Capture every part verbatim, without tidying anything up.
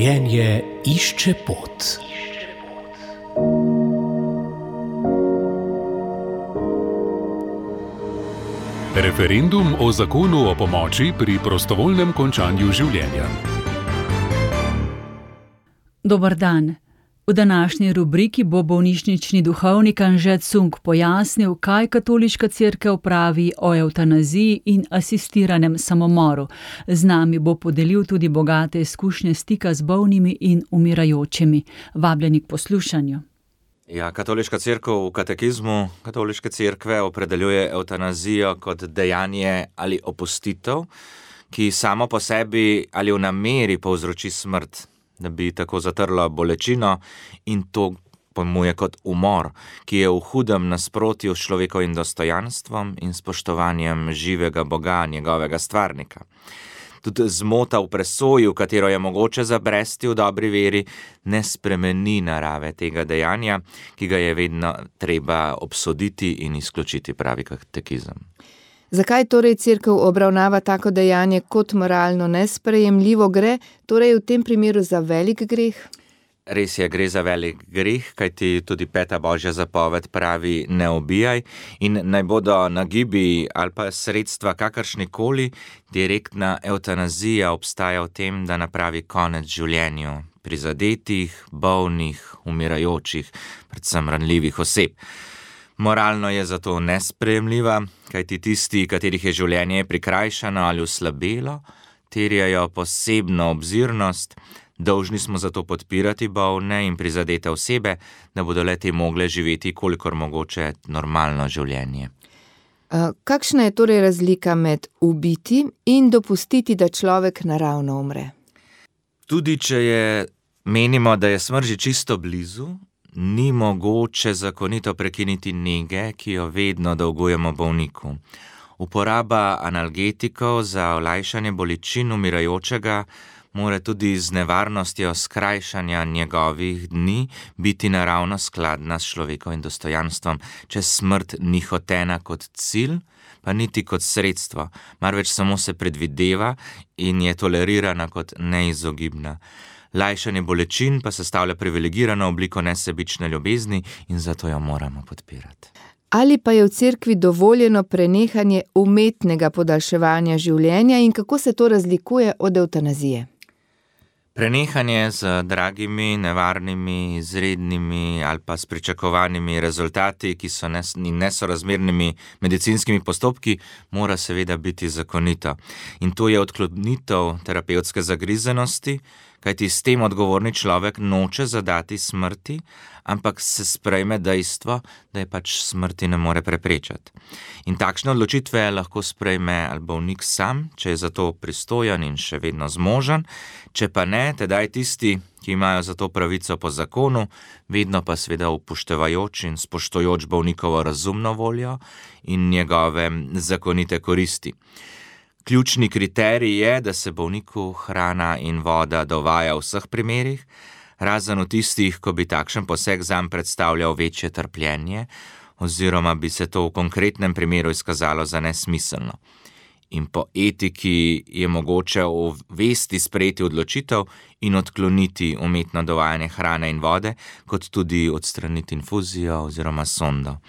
Življenje išče pot. Referendum o zakonu o pomoči pri prostovoljnem končanju življenja. Dober dan. V današnji rubriki bo bolnišnični duhovnik Anže Cunk pojasnil, kaj katoliška cerkev pravi o evtanaziji in asistiranem samomoru. Z nami bo podelil tudi bogate izkušnje stika z bolnimi in umirajočimi. Vabljeni k poslušanju. Ja, katoliška cerkev v katekizmu katoliške cerkve opredeljuje evtanazijo kot dejanje ali opustitev, ki samo po sebi ali v nameri povzroči smrt, da bi tako zatrlo bolečino, in to pojmuje kot umor, ki je v hudem nasprotju s človekovim dostojanstvom in spoštovanjem živega Boga, njegovega stvarnika. Tudi zmota v presoji, v katero je mogoče zabresti v dobri veri, ne spremeni narave tega dejanja, ki ga je vedno treba obsoditi in izključiti, pravi katekizem. Zakaj torej cerkev obravnava tako dejanje kot moralno nesprejemljivo? Gre torej v tem primeru za velik greh? Res je, gre za velik greh, kajti tudi peta božja zapoved pravi ne ubijaj, in naj bodo nagibi ali pa sredstva kakršnikoli, direktna evtanazija obstaja v tem, da napravi konec življenju prizadetih, bolnih, umirajočih, predvsem ranljivih oseb. Moralno je zato nesprejemljiva, kajti tisti, katerih je življenje prikrajšano ali oslabelo, terjajo posebno obzirnost. Dolžni smo zato podpirati bolne in prizadete osebe, da bodo le-te mogle živeti kolikor mogoče normalno življenje. Kakšna je torej razlika med ubiti in dopustiti, da človek naravno umre? Tudi če je, menimo, da je smrt že čisto blizu, ni mogoče zakonito prekiniti nege, ki jo vedno dolgujemo bolniku. Uporaba analgetikov za olajšanje bolečin umirajočega mora tudi z nevarnostjo skrajšanja njegovih dni biti naravno skladna s človekovim dostojanstvom, če smrt ni hotena kot cilj, pa niti kot sredstvo, marveč samo se predvideva in je tolerirana kot neizogibna. Lajšanje bolečin pa sestavlja privilegirano obliko nesebične ljubezni in zato jo moramo podpirati. Ali pa je v cerkvi dovoljeno prenehanje umetnega podaljševanja življenja in kako se to razlikuje od evtanazije? Prenehanje z dragimi, nevarnimi, izrednimi ali pa s pričakovanimi rezultati, ki so nesorazmernimi medicinskimi postopki, mora seveda biti zakonito. In to je odklonitev terapevtske zagrizenosti, kajti s tem odgovorni človek noče zadati smrti, ampak se sprejme dejstvo, da je pač smrti ne more preprečati. In takšne odločitve lahko sprejme ali bolnik sam, če je za to pristojen in še vedno zmožen, če pa ne, tedaj tisti, ki imajo za to pravico po zakonu, vedno pa seveda upoštevajoč in spoštujoč bolnikovo razumno voljo in njegove zakonite koristi. Ključni kriterij je, da se bolniku hrana in voda dovaja v vseh primerih, razen v tistih, ko bi takšen poseg zanj predstavljal večje trpljenje, oziroma bi se to v konkretnem primeru izkazalo za nesmiselno. In po etiki je mogoče v vesti sprejeti odločitev in odkloniti umetno dovajanje hrane in vode, kot tudi odstraniti infuzijo oziroma sondo.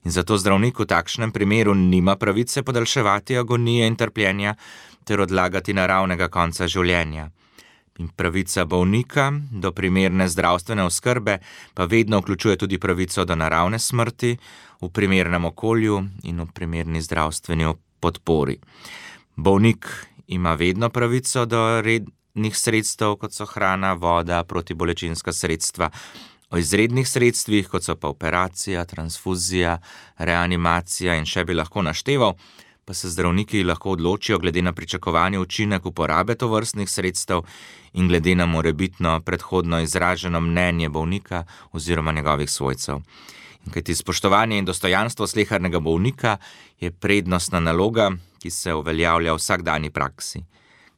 In zato zdravnik v takšnem primeru nima pravice podaljševati agonije in trpljenja ter odlagati naravnega konca življenja. In pravica bolnika do primerne zdravstvene oskrbe pa vedno vključuje tudi pravico do naravne smrti v primernem okolju in v primerni zdravstveni podpori. Bolnik ima vedno pravico do rednih sredstev, kot so hrana, voda, protibolečinska sredstva. O izrednih sredstvih, kot so pa operacija, transfuzija, reanimacija in še bi lahko našteval, pa se zdravniki lahko odločijo glede na pričakovani učinek uporabe tovrstnih sredstev in glede na morebitno predhodno izraženo mnenje bolnika oziroma njegovih svojcev. In kajti spoštovanje in dostojanstvo slehernega bolnika je prednostna naloga, ki se uveljavlja v vsakdanji praksi.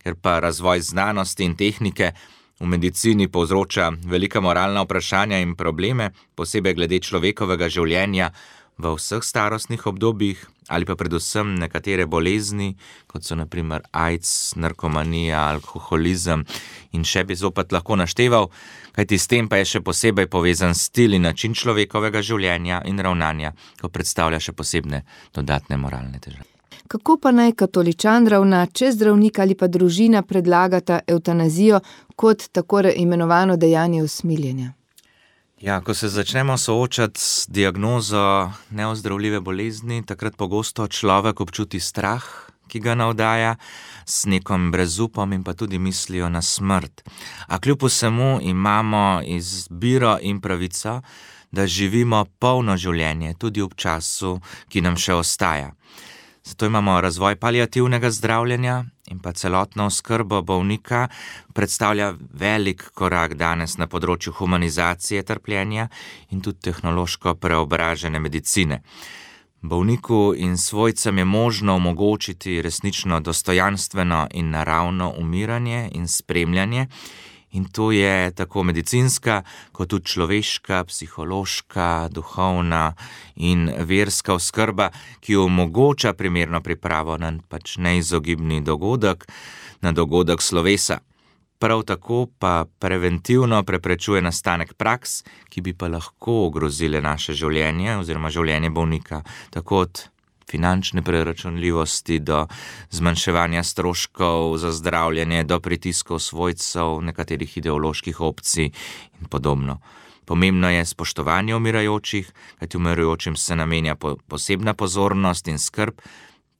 Ker pa razvoj znanosti in tehnike v medicini povzroča velika moralna vprašanja in probleme, posebej glede človekovega življenja, v vseh starostnih obdobjih ali pa predvsem nekatere bolezni, kot so na primer AIDS, narkomanija, alkoholizem in še bi zopet lahko našteval, kajti s tem pa je še posebej povezan stil in način človekovega življenja in ravnanja, ko predstavlja še posebne dodatne moralne težave. Kako pa naj katoličan ravna, če zdravnik ali pa družina predlagata evtanazijo kot tako imenovano dejanje usmiljenja? Ja, ko se začnemo soočati s diagnozo neozdravljive bolezni, takrat pogosto človek občuti strah, ki ga navdaja, s nekom brezupom in pa tudi mislijo na smrt. A kljub vsemu imamo izbiro in pravico, da živimo polno življenje, tudi ob času, ki nam še ostaja. Zato imamo razvoj paliativnega zdravljenja in pa celotno oskrbo bolnika predstavlja velik korak danes na področju humanizacije trpljenja in tudi tehnološko preobražene medicine. Bolniku in svojcem je možno omogočiti resnično dostojanstveno in naravno umiranje in spremljanje, in to je tako medicinska, kot tudi človeška, psihološka, duhovna in verska oskrba, ki omogoča primerno pripravo na pač neizogibni dogodek, na dogodek slovesa. Prav tako pa preventivno preprečuje nastanek praks, ki bi pa lahko ogrozile naše življenje oziroma življenje bolnika, tako od finančne preračunljivosti do zmanjševanja stroškov za zdravljenje, do pritiskov svojcev, nekaterih ideoloških opcij in podobno. Pomembno je spoštovanje umirajočih, kajti umirajočim se namenja posebna pozornost in skrb,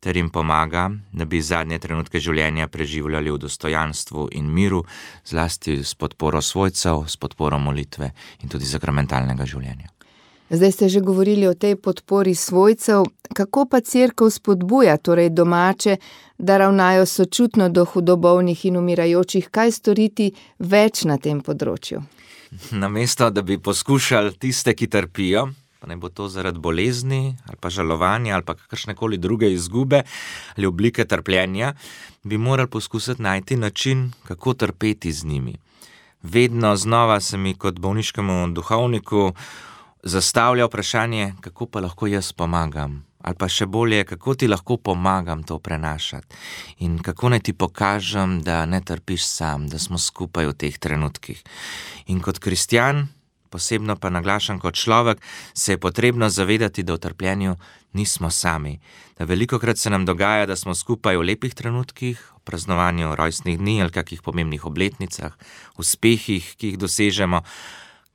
ter jim pomaga, da bi zadnje trenutke življenja preživljali v dostojanstvu in miru, zlasti s podporo svojcev, s podporo molitve in tudi sakramentalnega življenja. Zdaj ste že govorili o tej podpori svojcev, kako pa cerkev spodbuja, torej domače, da ravnajo sočutno do hudobolnih in umirajočih, kaj storiti več na tem področju? Namesto, da bi poskušali tiste, ki trpijo, pa ne bo to zaradi bolezni ali pa žalovanja ali pa kakršnekoli druge izgube ali oblike trpljenja, bi morali poskusiti najti način, kako trpeti z njimi. Vedno znova se mi kot bolniškemu duhovniku zastavlja vprašanje, kako pa lahko jaz pomagam, ali pa še bolje, kako ti lahko pomagam to prenašati in kako naj ti pokažem, da ne trpiš sam, da smo skupaj v teh trenutkih. In kot kristjan, posebno pa naglašam kot človek, se je potrebno zavedati, da v trpljenju nismo sami, da velikokrat se nam dogaja, da smo skupaj v lepih trenutkih, v praznovanju rojstnih dni ali kakih pomembnih obletnicah, uspehih, ki jih dosežemo,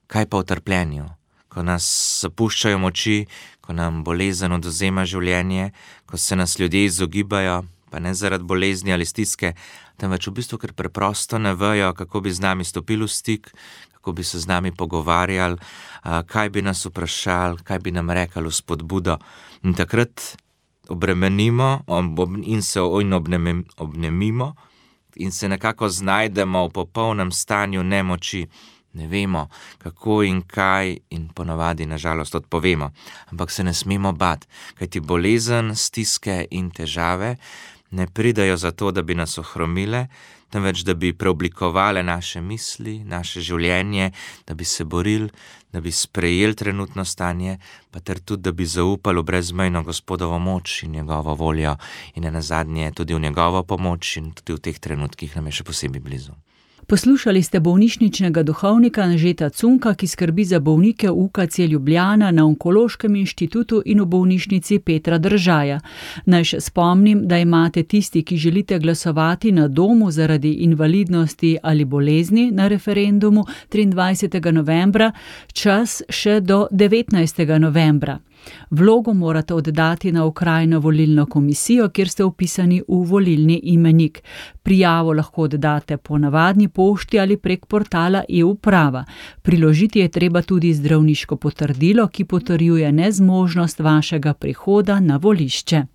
kaj pa v trpljenju? Ko nas zapuščajo moči, ko nam bolezen odvzema življenje, ko se nas ljudje izogibajo, pa ne zaradi bolezni ali stiske, temveč v bistvu, ker preprosto ne vejo, kako bi z nami stopili v stik, kako bi se z nami pogovarjali, kaj bi nas vprašali, kaj bi nam rekli v spodbudo. In takrat obremenimo in se obnemimo in se nekako znajdemo v popolnem stanju nemoči. Ne vemo, kako in kaj in ponavadi nažalost odpovemo, ampak se ne smemo bati, kajti bolezen, stiske in težave ne pridajo zato, da bi nas ohromile, temveč da bi preoblikovale naše misli, naše življenje, da bi se borili, da bi sprejeli trenutno stanje, pa ter tudi, da bi zaupali v brezmejno Gospodovo moč in njegovo voljo in nenazadnje tudi v njegovo pomoč in tudi v teh trenutkih nam je še posebej blizu. Poslušali ste bolnišničnega duhovnika Anžeta Cunka, ki skrbi za bolnike v U K C Ljubljana na Onkološkem inštitutu in v bolnišnici Petra Držaja. Naj še spomnim, da imate tisti, ki želite glasovati na domu zaradi invalidnosti ali bolezni na referendumu triindvajsetega novembra, čas še do devetnajstega novembra. Vlogo morate oddati na okrajno volilno komisijo, kjer ste vpisani v volilni imenik. Prijavo lahko oddate po navadni pošti ali prek portala e-uprava. Priložiti je treba tudi zdravniško potrdilo, ki potrjuje nezmožnost vašega prihoda na volišče.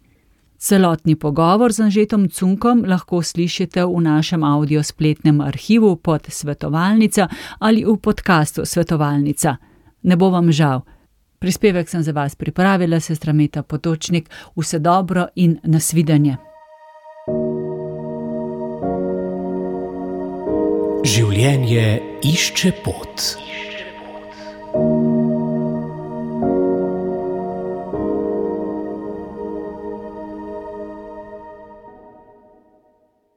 Celotni pogovor z Anžetom Cunkom lahko slišite v našem audio spletnem arhivu pod Svetovalnica ali v podkastu Svetovalnica. Ne bo vam žal. Prispevek sem za vas pripravila, sestra Meta Potočnik. Vse dobro in nasvidenje. Življenje išče pot.